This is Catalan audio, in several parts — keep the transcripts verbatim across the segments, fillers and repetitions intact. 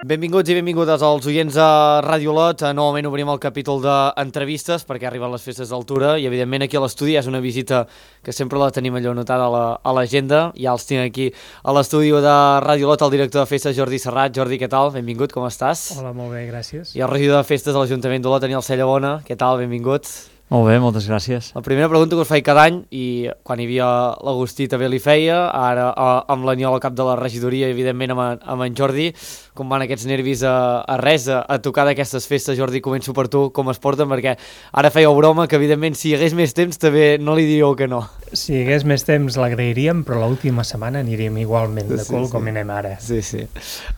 Benvinguts i benvingudes als oients de Ràdio Olot. Novament obrim el capítol d'entrevistes perquè arriben les festes d'altura i evidentment aquí a l'estudi és una visita que sempre la tenim allò anotada a l'agenda. Ja els tinc aquí a l'estudi de Ràdio Olot el director de festes Jordi Serrat. Jordi, què tal? Benvingut, com estàs? Hola, molt bé, gràcies. I el regidor de festes de l'Ajuntament d'Olot, Aniol Cellabona. Què tal? Benvingut. Molt bé, moltes gràcies. La primera pregunta que us faig cada any, i quan hi havia l'Agustí també li feia, ara amb l'Aniol al cap de la regidoria i evidentment amb, amb en Jordi, com van aquests nervis a, a res, a, a tocar d'aquestes festes? Jordi, començo per tu, com es porten? Perquè ara fèieu broma que evidentment si hi hagués més temps també no li diríeu que no. Si hi hagués més temps l'agrairíem, però l'última setmana aniríem igualment de cul sí, sí. com anem ara. Sí, sí.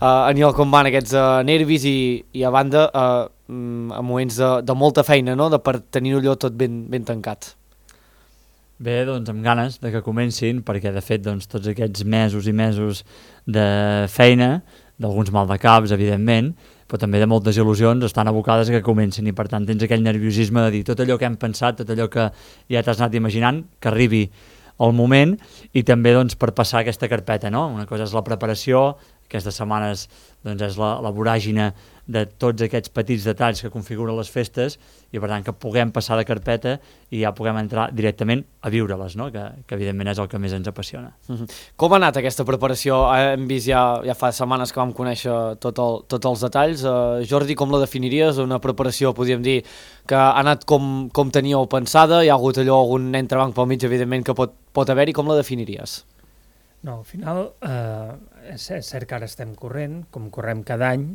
Uh, Aniol, com van aquests uh, nervis i, i a banda... Uh, a moments de, de molta feina, no? De per tenir-ho allò tot ben, ben tancat. Bé, doncs amb ganes de que comencin, perquè de fet doncs, tots aquests mesos i mesos de feina, d'alguns mal de caps, evidentment, però també de moltes il·lusions estan abocades a que comencin i per tant tens aquell nerviosisme de dir tot allò que hem pensat, tot allò que ja t'has anat imaginant, que arribi el moment i també doncs, per passar aquesta carpeta, no? Una cosa és la preparació, aquestes setmanes doncs, és la, la voràgina de tots aquests petits detalls que configuren les festes i per tant que puguem passar de carpeta i ja puguem entrar directament a viure-les, no? que, que evidentment és el que més ens apassiona. Mm-hmm. Com ha anat aquesta preparació? Hem vist ja, ja fa setmanes que vam conèixer tot el, tots els detalls. Uh, Jordi, com la definiries? Una preparació, podríem dir, que ha anat com, com teníeu pensada? Hi ha hagut allò algun entrebanc pel mig, evidentment, que pot, pot haver-hi. Com la definiries? No, al final eh, és, és cert que ara estem corrent, com correm cada any,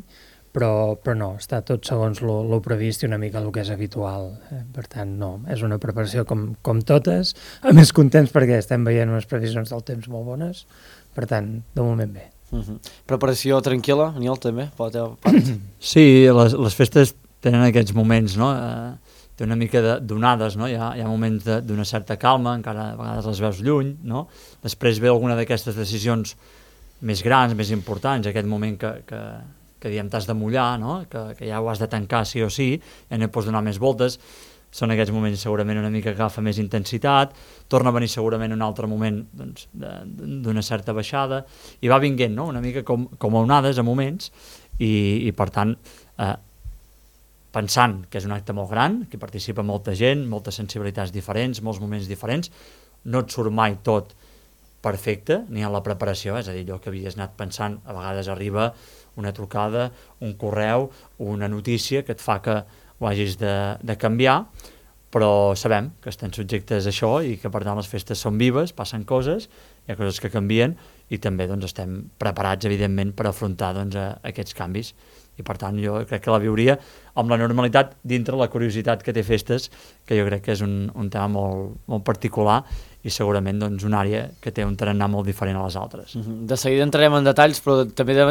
però, però no, està tot segons el previst i una mica el que és habitual. Eh? Per tant, no, és una preparació com, com totes, a més contents perquè estem veient unes previsions del temps molt bones, per tant, de moment bé. Uh-huh. Preparació tranquil·la, Aniol, també, per la teva part? Sí, les, les festes tenen aquests moments, no?, eh, té una mica de donades, no? Hi ha, hi ha moments d'una certa calma, encara a vegades les veus lluny, no? Després ve alguna d'aquestes decisions més grans, més importants, aquest moment que, que, que diem t'has de mullar, no? que, que ja ho has de tancar sí o sí, ja no hi pots donar més voltes, són aquests moments segurament una mica que agafa més intensitat, torna a venir segurament un altre moment doncs, d'una certa baixada, i va vinguent, no? Una mica com, com a onades a moments, i, i per tant, eh, pensant que és un acte molt gran, que participa molta gent, moltes sensibilitats diferents, molts moments diferents, no et surt mai tot perfecte, ni en la preparació, és a dir, allò que havies anat pensant, a vegades arriba una trucada, un correu, una notícia que et fa que ho hagis de, de canviar, però sabem que estem subjectes a això i que per tant les festes són vives, passen coses, hi ha coses que canvien i també doncs, estem preparats, evidentment, per afrontar doncs, a, a aquests canvis. I per tant jo crec que la viuria amb la normalitat dintre la curiositat que té festes, que jo crec que és un, un tema molt, molt particular i segurament doncs, una àrea que té un tarannà molt diferent a les altres. Uh-huh. De seguida entrarem en detalls, però també de,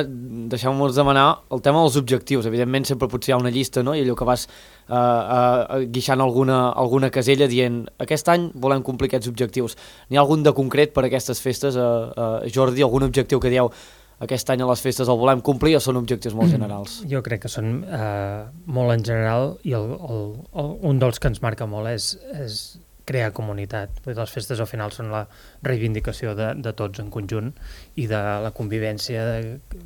deixeu-nos demanar el tema dels objectius. Evidentment sempre potser hi ha una llista, no? I allò que vas uh, uh, guixant alguna, alguna casella dient aquest any volem complir aquests objectius. N'hi ha algun de concret per a aquestes festes, uh, uh, Jordi? Algun objectiu que dieu aquest any a les festes el volem complir o són objectius molt generals? Jo crec que són eh, molt en general i el, el, el, un dels que ens marca molt és, és crear comunitat. Les festes al final són la reivindicació de, de tots en conjunt i de la convivència de,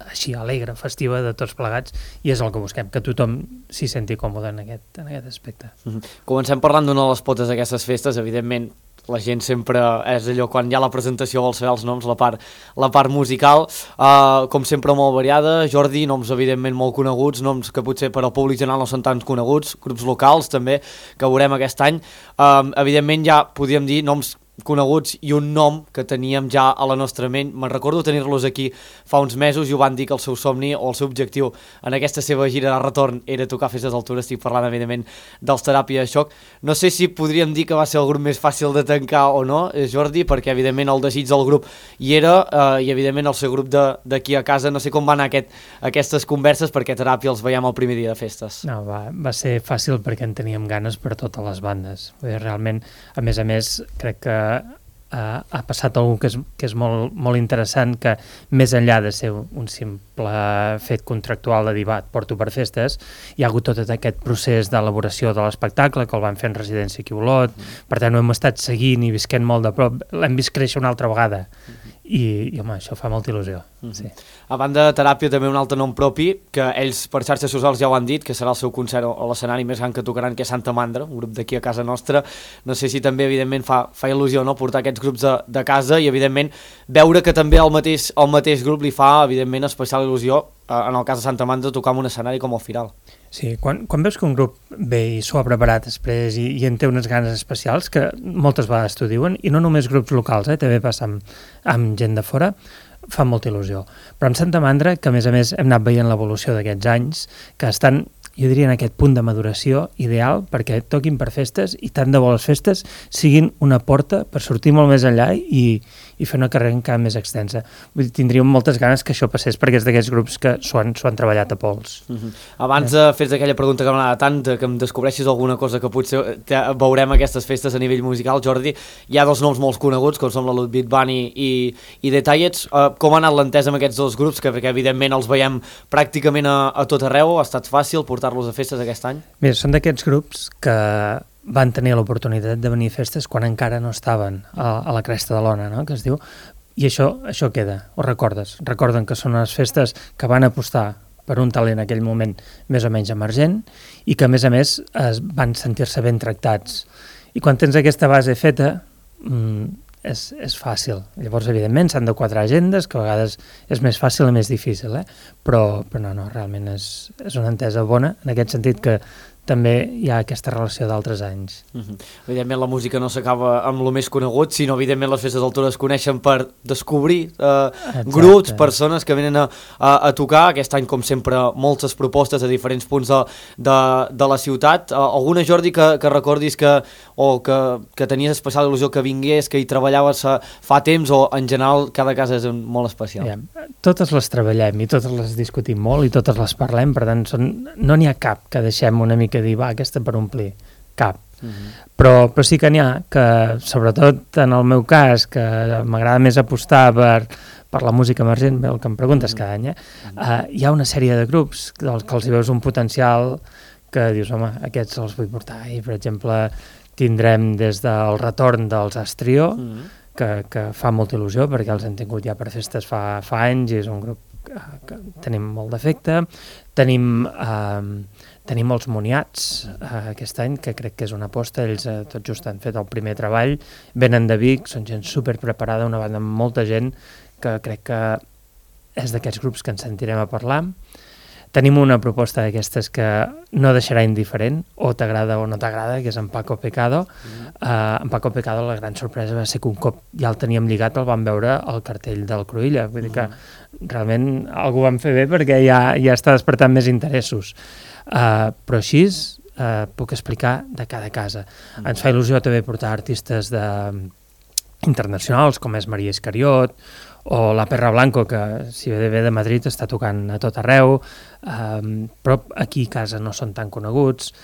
així alegre, festiva de tots plegats i és el que busquem, que tothom s'hi senti còmode en aquest, en aquest aspecte. Mm-hmm. Comencem parlant d'una de les potes d'aquestes festes, evidentment la gent sempre és allò, quan hi ha la presentació vol saber els noms, la part, la part musical, uh, com sempre molt variada. Jordi, noms evidentment molt coneguts, noms que potser per al públic general no són tan coneguts, grups locals també, que veurem aquest any. Uh, evidentment ja podríem dir noms coneguts i un nom que teníem ja a la nostra ment. Me'n recordo tenir-los aquí fa uns mesos i ho van dir que el seu somni o el seu objectiu en aquesta seva gira de retorn era tocar festes d'altura. Estic parlant evidentment dels Teràpia de Xoc. No sé si podríem dir que va ser el grup més fàcil de tancar o no, Jordi, perquè evidentment el desig del grup hi era eh, i evidentment el seu grup d'aquí a casa. No sé com van anar aquest, aquestes converses perquè Teràpia els veiem el primer dia de festes. No, va, va ser fàcil perquè en teníem ganes per totes les bandes. Realment, a més a més, crec que Uh, ha passat alguna que és, que és molt, molt interessant, que més enllà de ser un, un simple fet contractual de dir, va, et porto per festes, hi ha hagut tot aquest procés d'elaboració de l'espectacle, que el van fer en residència aquí a Olot, mm. per tant ho hem estat seguint i visquent molt de prop, l'hem vist créixer una altra vegada, mm. i, i home, això fa molta il·lusió. Mm-hmm. Sí. A banda de Teràpia, també un altre nom propi, que ells per xarxes socials ja ho han dit, que serà el seu concert o l'escenari més gran que tocaran, que és Santa Mandra, un grup d'aquí a casa nostra. No sé si també, evidentment, fa, fa il·lusió, no?, portar aquests grups de, de casa i, evidentment, veure que també el mateix, el mateix grup li fa, evidentment, especial il·lusió, eh, en el cas de Santa Mandra, tocar en un escenari com el Firal. Sí, quan, quan veus que un grup ve i s'ho ha preparat després i, i en té unes ganes especials, que moltes vegades t'ho diuen, i no només grups locals, eh, també passa amb, amb gent de fora, fa molta il·lusió. Però amb Santa Mandra, que a més a més hem anat veient l'evolució d'aquests anys, que estan, jo diria, en aquest punt de maduració ideal perquè toquin per festes i tant de bo les festes siguin una porta per sortir molt més enllà i, i fer una carrera encara més extensa. Vull dir, tindríem moltes ganes que això passés perquè és d'aquests grups que s'ho han, han treballat a pols. Uh-huh. Abans de fer aquella pregunta que m'agrada tant, que em descobreixis alguna cosa que potser te, veurem aquestes festes a nivell musical, Jordi, hi ha dos noms molt coneguts, com són la Ludwig Band i, i, i The Tallets. Uh, com ha anat l'entesa amb aquests dos grups, que, que evidentment els veiem pràcticament a, a tot arreu? Ha estat fàcil portar-los a festes aquest any? Mira, són d'aquests grups que van tenir l'oportunitat de venir a festes quan encara no estaven a, a la cresta de l'ona, no?, que es diu, i això, això queda, ho recordes. Recorden que són unes festes que van apostar per un talent en aquell moment més o menys emergent i que, a més a més, es van sentir-se ben tractats. I quan tens aquesta base feta, mmm, és, és fàcil. Llavors, evidentment, s'han de quadrar agendes, que a vegades és més fàcil i més difícil, eh? però, però no, no, realment és, és una entesa bona, en aquest sentit que també hi ha aquesta relació d'altres anys. Uh-huh. Evidentment la música no s'acaba amb el més conegut, sinó evidentment les festes d'altura es coneixen per descobrir eh, grups, persones que venen a, a, a tocar. Aquest any, com sempre, moltes propostes a diferents punts de, de, de la ciutat. Uh, alguna, Jordi, que, que recordis que, o que, que tenies especial il·lusió que vingués, que hi treballaves fa temps, o en general cada casa és molt especial? Ja, totes les treballem i totes les discutim molt i totes les parlem, per tant són, no n'hi ha cap que deixem una mica que dir, va, aquesta per omplir, cap. Uh-huh. Però, però sí que n'hi ha que, sobretot en el meu cas, que m'agrada més apostar per, per la música emergent, el que em preguntes uh-huh. cada any, eh? uh-huh. uh, hi ha una sèrie de grups dels que els hi veus un potencial que dius, home, aquests els vull portar. I, per exemple, tindrem des del retorn dels Astrio, uh-huh. que, que fa molta il·lusió, perquè els hem tingut ja per festes fa, fa anys, i és un grup que, que tenim molt d'efecte. Tenim... Eh, Tenim els Moniats eh, aquest any, que crec que és una aposta. Ells eh, tot just han fet el primer treball, venen de Vic, són gent superpreparada, una banda amb molta gent, que crec que és d'aquests grups que ens sentirem a parlar. Tenim una proposta d'aquestes que no deixarà indiferent, o t'agrada o no t'agrada, que és en Paco Pecado. Mm. Uh, en Paco Pecado la gran sorpresa va ser que un cop ja el teníem lligat el vam veure al cartell del Cruïlla. Vull dir que realment algú ho vam fer bé perquè ja, ja està despertant més interessos. Uh, però així uh, puc explicar de cada casa. Mm. Ens fa il·lusió també portar artistes de, internacionals com és Maria Iscariot o la Perra Blanco, que si ve de Madrid està tocant a tot arreu, um, però aquí a casa no són tan coneguts.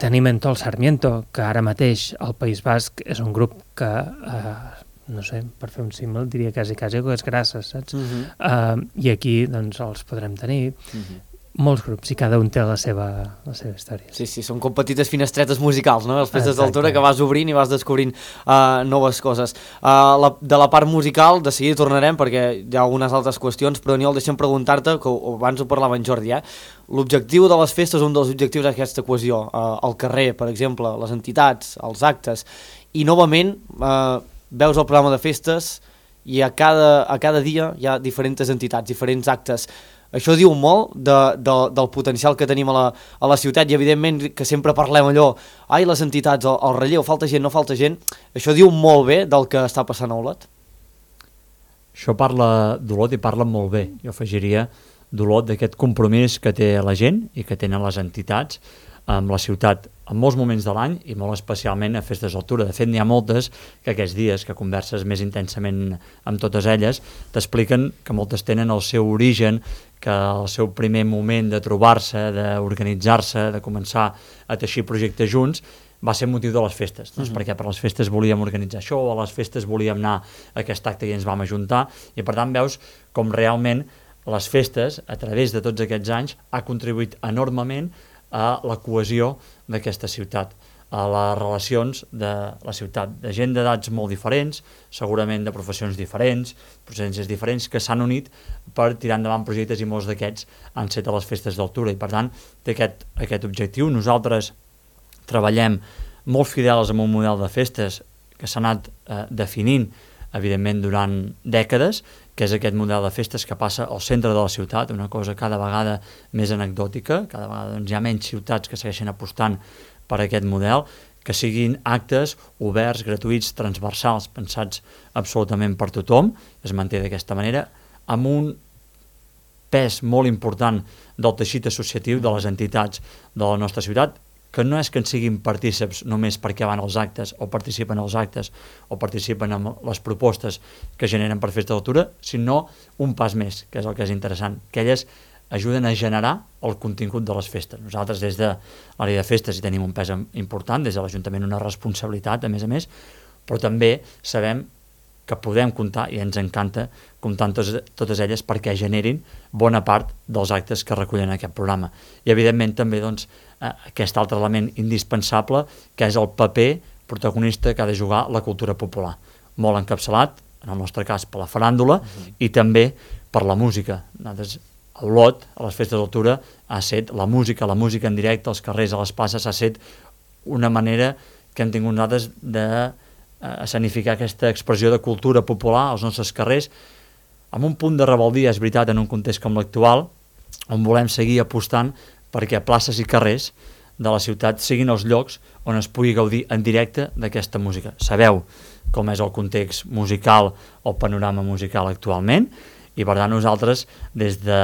Tenim Entol Sarmiento, que ara mateix al País Basc és un grup que uh, no sé, per fer un símil diria quasi quasi que és grasses, saps? Uh-huh. uh, I aquí doncs els podrem tenir. Uh-huh. Molts grups i cada un té la seva, la seva història. Sí, sí, són com petites finestretes musicals, no? Les festes d'altura que vas obrint i vas descobrint uh, noves coses. Uh, la, de la part musical, de seguida tornarem perquè hi ha algunes altres qüestions, però Aniol, deixa'm preguntar-te, que abans ho parlava en Jordi, eh? L'objectiu de les festes, un dels objectius és aquesta cohesió. Uh, al carrer, per exemple, les entitats, els actes, i novament uh, veus el programa de festes i a cada, a cada dia hi ha diferents entitats, diferents actes. Això diu molt de, de, del potencial que tenim a la, a la ciutat i evidentment que sempre parlem allò, ai, les entitats, el, el relleu, falta gent, no falta gent. Això diu molt bé del que està passant a Olot. Això parla d'Olot i parla molt bé. Jo afegiria d'Olot d'aquest compromís que té la gent i que tenen les entitats amb la ciutat en molts moments de l'any i molt especialment a festes d'altura. De fet, n'hi ha moltes que aquests dies que converses més intensament amb totes elles t'expliquen que moltes tenen el seu origen, que el seu primer moment de trobar-se, d'organitzar-se, de començar a teixir projectes junts, va ser motiu de les festes, doncs, uh-huh. perquè per les festes volíem organitzar això, o a les festes volíem anar a aquest acte i ens vam ajuntar, i per tant veus com realment les festes, a través de tots aquests anys, ha contribuït enormement a la cohesió d'aquesta ciutat. a les relacions de la ciutat, de gent d'edats molt diferents, segurament de professions diferents, procedències diferents, que s'han unit per tirar endavant projectes, i molts d'aquests han set a les festes d'Altura, i per tant té aquest, aquest objectiu. Nosaltres treballem molt fidels amb un model de festes que s'ha anat eh, definint, evidentment, durant dècades, que és aquest model de festes que passa al centre de la ciutat, una cosa cada vegada més anecdòtica, cada vegada doncs, hi ha menys ciutats que segueixen apostant per aquest model, que siguin actes oberts, gratuïts, transversals, pensats absolutament per tothom, es manté d'aquesta manera, amb un pes molt important del teixit associatiu de les entitats de la nostra ciutat, que no és que en siguin partíceps només perquè van als actes o participen als actes o participen en les propostes que generen per Festa d'Altura, sinó un pas més, que és el que és interessant, que elles ajuden a generar el contingut de les festes. Nosaltres des de l'àrea de festes hi tenim un pes important, des de l'Ajuntament una responsabilitat, a més a més, però també sabem que podem comptar, i ens encanta comptar amb totes, totes elles perquè generin bona part dels actes que recullen aquest programa. I evidentment també doncs, aquest altre element indispensable, que és el paper protagonista que ha de jugar la cultura popular. Molt encapçalat, en el nostre cas, per la faràndula, uh-huh. i també per la música. Nosaltres, a Olot, a les festes d'Altura, ha set la música, la música en directe, als carrers, a les places, ha set una manera que hem tingut nosaltres de escenificar aquesta expressió de cultura popular als nostres carrers, amb un punt de rebeldia, és veritat, en un context com l'actual, on volem seguir apostant perquè places i carrers de la ciutat siguin els llocs on es pugui gaudir en directe d'aquesta música. Sabeu com és el context musical, el panorama musical actualment, i per tant nosaltres, des de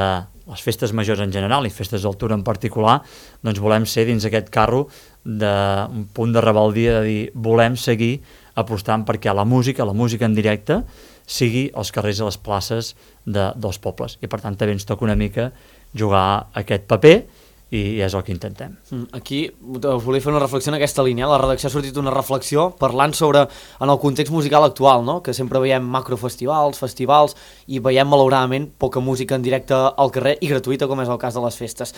les festes majors en general i festes d'Altura en particular, doncs volem ser dins aquest carro d'un punt de rebeldia, de dir, volem seguir apostant perquè la música, la música en directe, sigui als carrers i les places de, dels pobles. I per tant també ens toca una mica jugar aquest paper, i és el que intentem. Aquí us volia fer una reflexió en aquesta línia. La redacció ha sortit una reflexió parlant sobre en el context musical actual, no? Que sempre veiem macrofestivals, festivals, i veiem malauradament poca música en directe al carrer i gratuïta, com és el cas de les festes.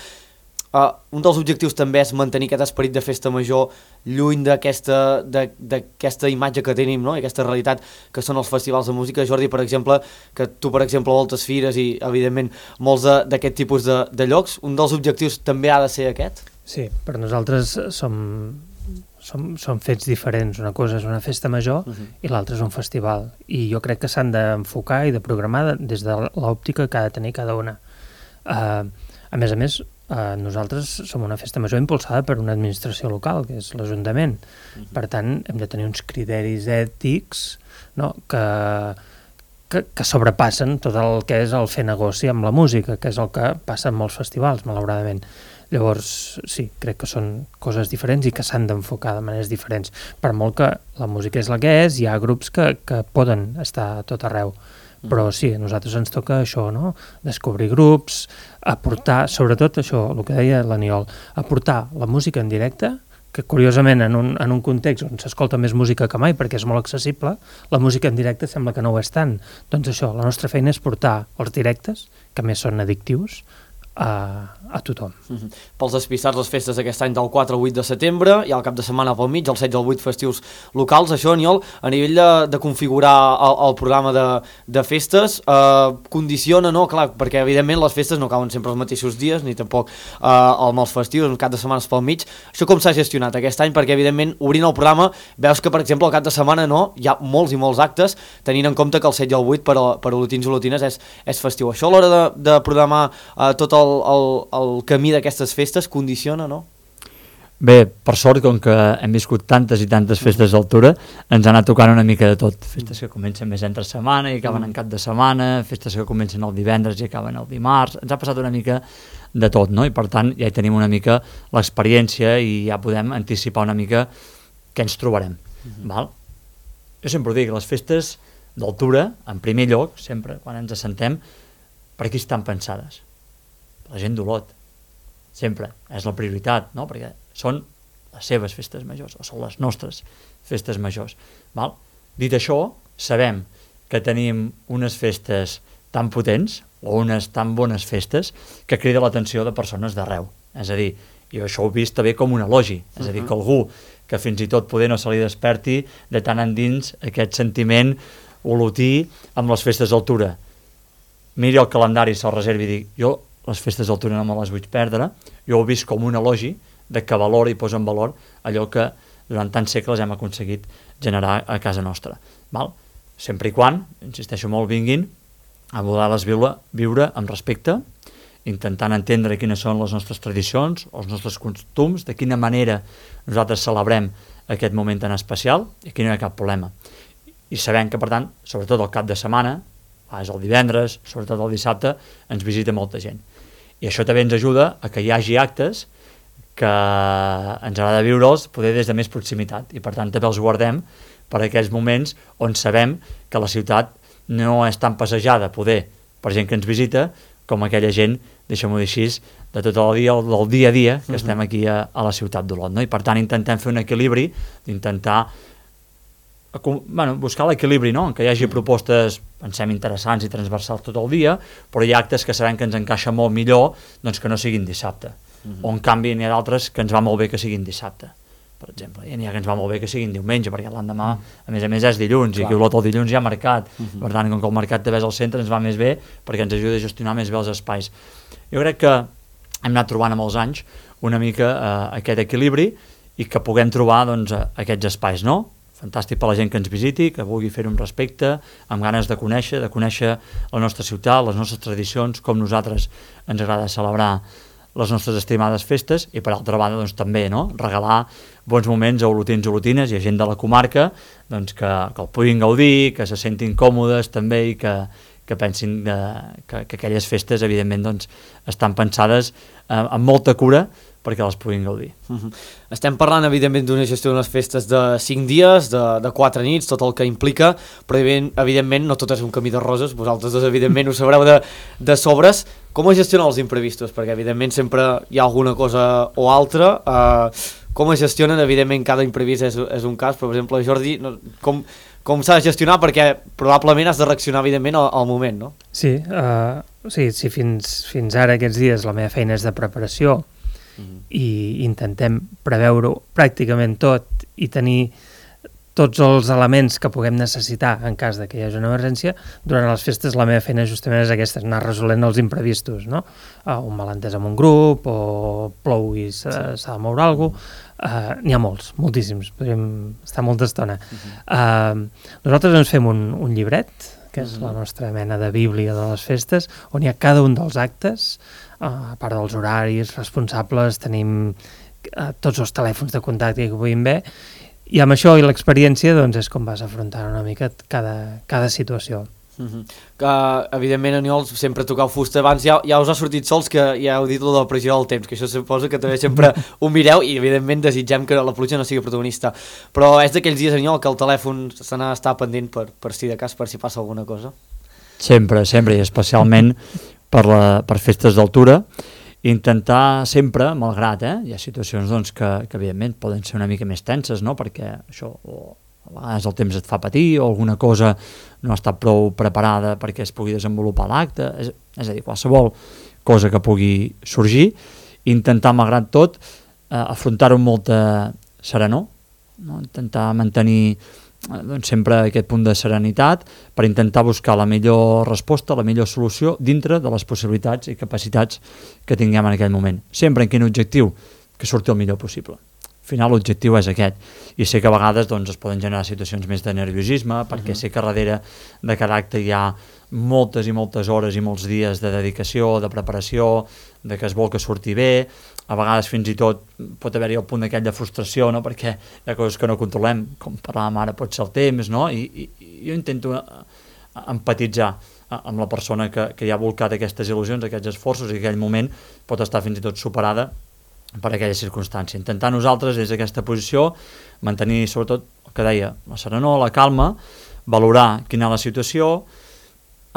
Uh, un dels objectius també és mantenir aquest esperit de festa major lluny d'aquesta d'aquesta imatge que tenim, no? I aquesta realitat que són els festivals de música. Jordi, per exemple, que tu, per exemple, voltes fires i, evidentment, molts d'aquest tipus de, de llocs, un dels objectius també ha de ser aquest? Sí, per nosaltres som, som, som fets diferents. Una cosa és una festa major uh-huh. i l'altra és un festival. I jo crec que s'han d'enfocar i de programar des de l'òptica que ha de tenir cada una. Uh, a més a més, Uh, nosaltres som una festa major impulsada per una administració local, que és l'Ajuntament. Uh-huh. Per tant, hem de tenir uns criteris ètics, no? que, que, que sobrepassen tot el que és el fer negoci amb la música, que és el que passa en molts festivals, malauradament. Llavors, sí, crec que són coses diferents i que s'han d'enfocar de maneres diferents. Per molt que la música és la que és, hi ha grups que, que poden estar a tot arreu. Però sí, a nosaltres ens toca això, no? Descobrir grups, aportar, sobretot això, el que deia l'Aniol, aportar la música en directe, que curiosament en un, en un context on s'escolta més música que mai perquè és molt accessible, la música en directe sembla que no ho és tant. Doncs això, la nostra feina és portar els directes, que més són addictius, a, a tothom. Uh-huh. Pels despistats, les festes d'aquest any del quatre al vuit de setembre, i al cap de setmana pel mig, el setze al vuit festius locals. Això, Aniol, a nivell de, de configurar el, el programa de, de festes, eh, condiciona, no? Clar, perquè evidentment les festes no cauen sempre els mateixos dies, ni tampoc eh, amb els festius, un cap de setmanes pel mig. Això com s'ha gestionat aquest any? Perquè evidentment, obrint el programa, veus que, per exemple, al cap de setmana no, hi ha molts i molts actes, tenint en compte que el setze al vuit per, per olotins i olotines és, és festiu. Això a l'hora de, de programar eh, tot el El, el camí d'aquestes festes condiciona, no? Bé, per sort, com que hem viscut tantes i tantes festes d'Altura, ens ha anat tocant una mica de tot. Festes que comencen més entre setmana i acaben en cap de setmana, festes que comencen el divendres i acaben el dimarts. Ens ha passat una mica de tot, no? I per tant ja hi tenim una mica l'experiència i ja podem anticipar una mica què ens trobarem. Uh-huh. Val? Jo sempre ho dic, les festes d'Altura, en primer lloc, sempre, quan ens assentem, per aquí estan pensades. La gent d'Olot, sempre, és la prioritat, no? Perquè són les seves festes majors, o són les nostres festes majors. Val? Dit això, sabem que tenim unes festes tan potents, o unes tan bones festes, que crida l'atenció de persones d'arreu. És a dir, jo això ho he vist també com un elogi, és a dir, que algú que fins i tot poder no se li desperti de tant endins aquest sentiment olotí amb les festes d'altura. Miri el calendari, se'l reservi i dic, jo les festes d'altura no me les vull perdre, jo ho he vist com un elogi de que valora i posa en valor allò que durant tants segles hem aconseguit generar a casa nostra. Val? Sempre i quan, insisteixo molt, vinguin a voler-les viure, viure amb respecte, intentant entendre quines són les nostres tradicions, els nostres costums, de quina manera nosaltres celebrem aquest moment tan especial, i aquí no hi ha cap problema. I sabem que, per tant, sobretot el cap de setmana, és el divendres, sobretot el dissabte, ens visita molta gent. I això també ens ajuda a que hi hagi actes que ens agrada viure'ls poder des de més proximitat, i per tant també els guardem per aquells moments on sabem que la ciutat no és tan passejada, poder, per gent que ens visita, com aquella gent, deixem-ho dir així, de tot el dia, del dia a dia que uh-huh. estem aquí a, a la ciutat d'Olot, no? I per tant intentem fer un equilibri, d'intentar bueno, buscar l'equilibri, no? En què hi hagi propostes, pensem, interessants i transversals tot el dia, però hi ha actes que sabem que ens encaixa molt millor doncs que no siguin dissabte. Uh-huh. O en canvi n'hi ha d'altres que ens va molt bé que siguin dissabte, per exemple. I n'hi ha que ens va molt bé que siguin diumenge, perquè l'endemà, a més a més, és dilluns, Clar. I aquí a Olot el dilluns hi ha mercat. Uh-huh. Per tant, com que el mercat també és al centre, ens va més bé perquè ens ajuda a gestionar més bé els espais. Jo crec que hem anat trobant amb els anys una mica eh, aquest equilibri i que puguem trobar doncs, aquests espais, no? Fantàstic per la gent que ens visiti, que vulgui fer-ho amb respecte, amb ganes de conèixer, de conèixer la nostra ciutat, les nostres tradicions, com nosaltres ens agrada celebrar les nostres estimades festes, i per altra banda doncs, també no? Regalar bons moments a olotins i olotines i a gent de la comarca doncs, que, que el puguin gaudir, que se sentin còmodes també i que, que pensin que, que, que aquelles festes evidentment doncs, estan pensades eh, amb molta cura perquè les puguin gaudir. Uh-huh. Estem parlant evidentment d'una gestió d'unes festes de cinc dies, de, de quatre nits, tot el que implica, però evidentment no tot és un camí de roses, vosaltres dos evidentment ho sabreu de, de sobres. Com es gestionen els imprevistos? Perquè evidentment sempre hi ha alguna cosa o altra. Uh, com es gestionen? Evidentment cada imprevist és, és un cas, però per exemple Jordi, no, com, com s'ha de gestionar? Perquè probablement has de reaccionar evidentment al, al moment, no? Sí, uh, sí, sí fins, fins ara aquests dies la meva feina és de preparació, i intentem preveure pràcticament tot i tenir tots els elements que puguem necessitar en cas de que hi hagi una emergència. Durant les festes la meva feina justament és aquesta, anar resolent els imprevistos, no? Uh, un malentès amb un grup, o plou i s'ha sí. de moure alguna cosa. Uh, n'hi ha molts, moltíssims, podríem estar molta estona. Uh-huh. Uh, nosaltres ens fem un, un llibret, que és uh-huh. la nostra mena de bíblia de les festes, on hi ha cada un dels actes. Uh, a part dels horaris responsables, tenim uh, tots els telèfons de contacte que puguin bé, i amb això i l'experiència doncs, és com vas afrontant una mica cada, cada situació. Uh-huh. Que, evidentment, Aniol, sempre tocau fusta. Abans ja, ja us ha sortit sols que ja heu dit lo de la pressió del temps, que això suposa que també sempre ho mireu i, evidentment, desitgem que la pluja no sigui protagonista. Però és d'aquells dies, Aniol, que el telèfon se n'ha d'estar pendent per, per si de cas, per si passa alguna cosa? Sempre, sempre, i especialment per, la, per festes d'altura, intentar sempre, malgrat, eh, hi ha situacions doncs, que, que evidentment poden ser una mica més tenses, no? Perquè això, o a vegades el temps et fa patir, o alguna cosa no ha estat prou preparada perquè es pugui desenvolupar l'acte, és, és a dir, qualsevol cosa que pugui sorgir, intentar, malgrat tot, eh, afrontar-ho amb molta serenor, no? Intentar mantenir doncs sempre aquest punt de serenitat per intentar buscar la millor resposta, la millor solució dintre de les possibilitats i capacitats que tinguem en aquell moment. Sempre en quin objectiu? Que surti el millor possible. Al final l'objectiu és aquest, i sé que a vegades doncs, es poden generar situacions més de nerviosisme, perquè uh-huh. sé que darrere de cada acte hi ha moltes i moltes hores i molts dies de dedicació, de preparació, de que es vol que surti bé. A vegades fins i tot pot haver-hi el punt aquell de frustració, no? Perquè hi ha coses que no controlem, com parlàvem ara, pot ser el temps, no? I, i, i jo intento empatitzar amb la persona que, que hi ha volcat aquestes il·lusions, aquests esforços, i aquell moment pot estar fins i tot superada per aquella circumstància. Intentar nosaltres, des d'aquesta posició, mantenir sobretot el que deia, la serenor, la calma, valorar quina és la situació,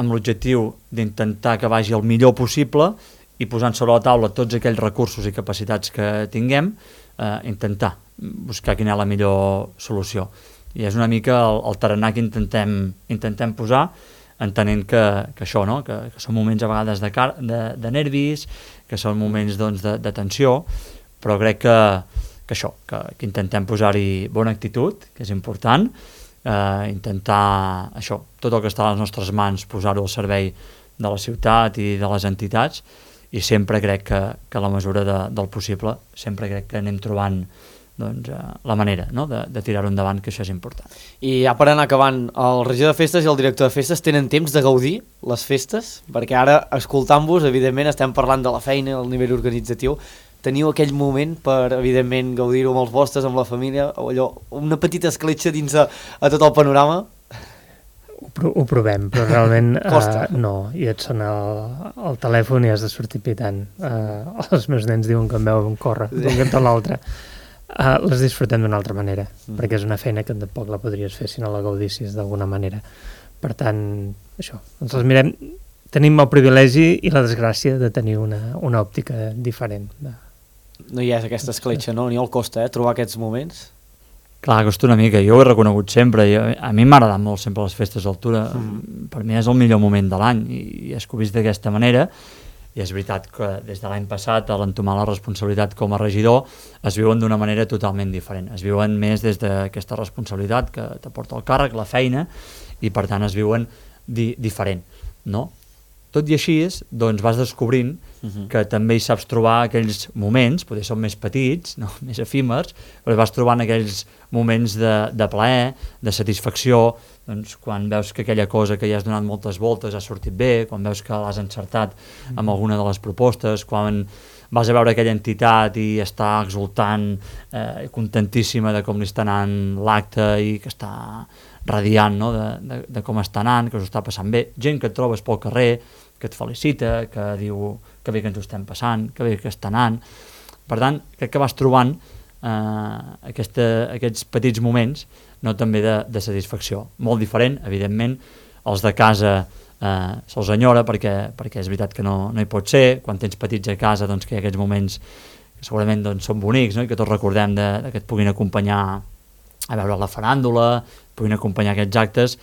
amb l'objectiu d'intentar que vagi el millor possible i posant sobre la taula tots aquells recursos i capacitats que tinguem, eh, intentar buscar quina és la millor solució. I és una mica el, el tarannà que intentem, intentem posar, entenent que, que això, no? que, que són moments a vegades de, car de, de nervis, que són moments doncs, de, de tensió, però crec que, que això, que, que intentem posar-hi bona actitud, que és important, eh, intentar això, tot el que està a les nostres mans, posar-ho al servei de la ciutat i de les entitats, i sempre crec que, que a la mesura de, del possible, sempre crec que anem trobant doncs, eh, la manera, no?, de, de tirar-ho endavant, que això és important. I ja per anar acabant, el regidor de festes i el director de festes tenen temps de gaudir les festes? Perquè ara, escoltant-vos, evidentment, estem parlant de la feina, el nivell organitzatiu. Teniu aquell moment per, evidentment, gaudir-ho amb els vostres, amb la família, o allò, una petita escletxa dins a, a tot el panorama? Ho, pro ho provem, però realment Costa. uh, no, i et sona el, el telèfon i has de sortir pitant. Uh, els meus nens diuen que em veuen córrer d'un cantó a l'altre. Uh, les disfrutem d'una altra manera, mm. perquè és una feina que tampoc la podries fer si no la gaudissis d'alguna manera. Per tant, això, ens les mirem, tenim el privilegi i la desgràcia de tenir una, una òptica diferent. De... No hi ha aquesta escletxa, no? Ni el costa, eh? Trobar aquests moments. Clar, costa una mica, jo ho he reconegut sempre, jo, a mi m'ha agradat molt sempre les festes d'altura, mm. per mi és el millor moment de l'any, i, i és que ho he vist d'aquesta manera, i és veritat que des de l'any passat, a l'entomar la responsabilitat com a regidor, es viuen d'una manera totalment diferent, es viuen més des d'aquesta responsabilitat que t'aporta el càrrec, la feina, i per tant es viuen di diferent, no? Tot i així, doncs vas descobrint uh-huh. que també hi saps trobar aquells moments, potser són més petits, no? Més efímers, però vas trobant aquells moments de, de plaer, de satisfacció, doncs, quan veus que aquella cosa que ja has donat moltes voltes ha sortit bé, quan veus que l'has encertat amb alguna de les propostes, quan vas a veure aquella entitat i està exultant, eh, contentíssima de com li està anant l'acte i que està radiant, no?, de, de, de com està anant, que us està passant bé, gent que et trobes pel carrer, que et felicita, que diu que bé que ens ho estem passant, que bé que està anant. Per tant, crec que vas trobant eh, aquesta, aquests petits moments, no, també de, de satisfacció. Molt diferent, evidentment, els de casa eh, se'ls enyora perquè, perquè és veritat que no, no hi pot ser. Quan tens petits a casa, doncs, que hi ha aquests moments que segurament doncs, són bonics, no?, i que tots recordem de, de que et puguin acompanyar a veure la faràndula, puguin acompanyar aquests actes.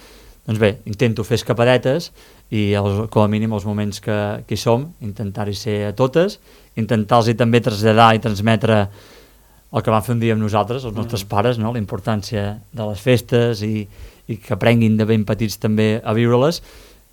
Doncs bé, intento fer escapadetes i els, com a mínim els moments que, que hi som, intentar-hi ser a totes, intentar-los també traslladar i transmetre el que van fer un dia amb nosaltres, els nostres mm. pares, no?, la importància de les festes i, i que aprenguin de ben petits també a viure-les,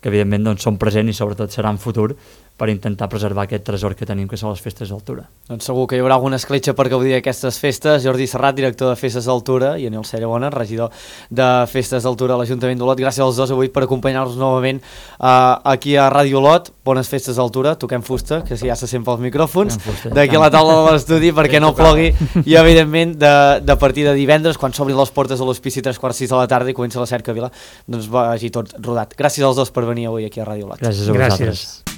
que evidentment doncs, són presents i sobretot seran futur per intentar preservar aquest tresor que tenim, que són les festes d'altura. Doncs segur que hi haurà alguna escletxa per gaudir d'aquestes festes. Jordi Serrat, director de Festes d'Altura, i Aniol Cerebona, regidor de Festes d'Altura a l'Ajuntament d'Olot. Gràcies als dos avui per acompanyar-nos novament uh, aquí a Ràdio Olot. Bones festes d'Altura, toquem fusta, que ja se sent pels micròfons, d'aquí a la taula de l'estudi perquè no plogui, i evidentment de, de partir de divendres, quan s'obrin les portes de l'hospici tres quarts sis de la tarda i comença la cerca Vila, doncs vagi tot rodat. Gràcies als dos per venir avui aquí a Ràdio Olot. Gràcies a vosaltres. Gràcies.